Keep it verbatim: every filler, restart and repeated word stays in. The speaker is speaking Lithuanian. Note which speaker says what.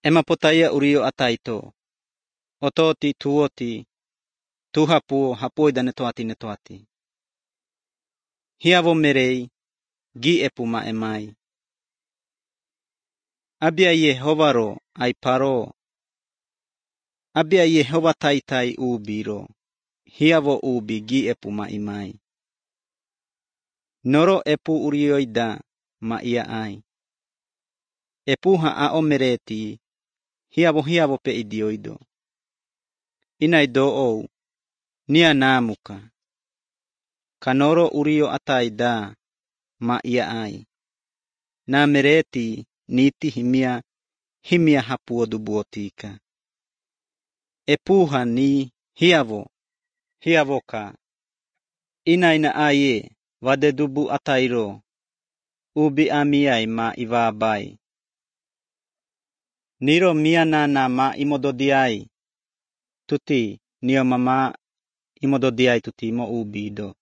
Speaker 1: ema potaia urio ataito. Ototi tuoti. Tuhapuo hapoida netoati netoati. Hiavo merei. Gi epuma emai. Abia Yehovaro ai paro. Abia Yehova taitai ubiro. Hiavo ubi gi epuma imai. Noro epu urioida ma ia ai. Epuha a omereti. Hiavo hiavo pe idioido. Inai do ou. Nia namuka. Kanoro urio ataida ma ia ai. Na mereti niti himia himia hapuo dubuotika. Epuha ni hiavo hiavoka. Inai na aye vade dubu atairo. Ubi amiai ma ivabai. Niro mianana ma imododiai. Tuti nio mama imododiai tuti mo ubido.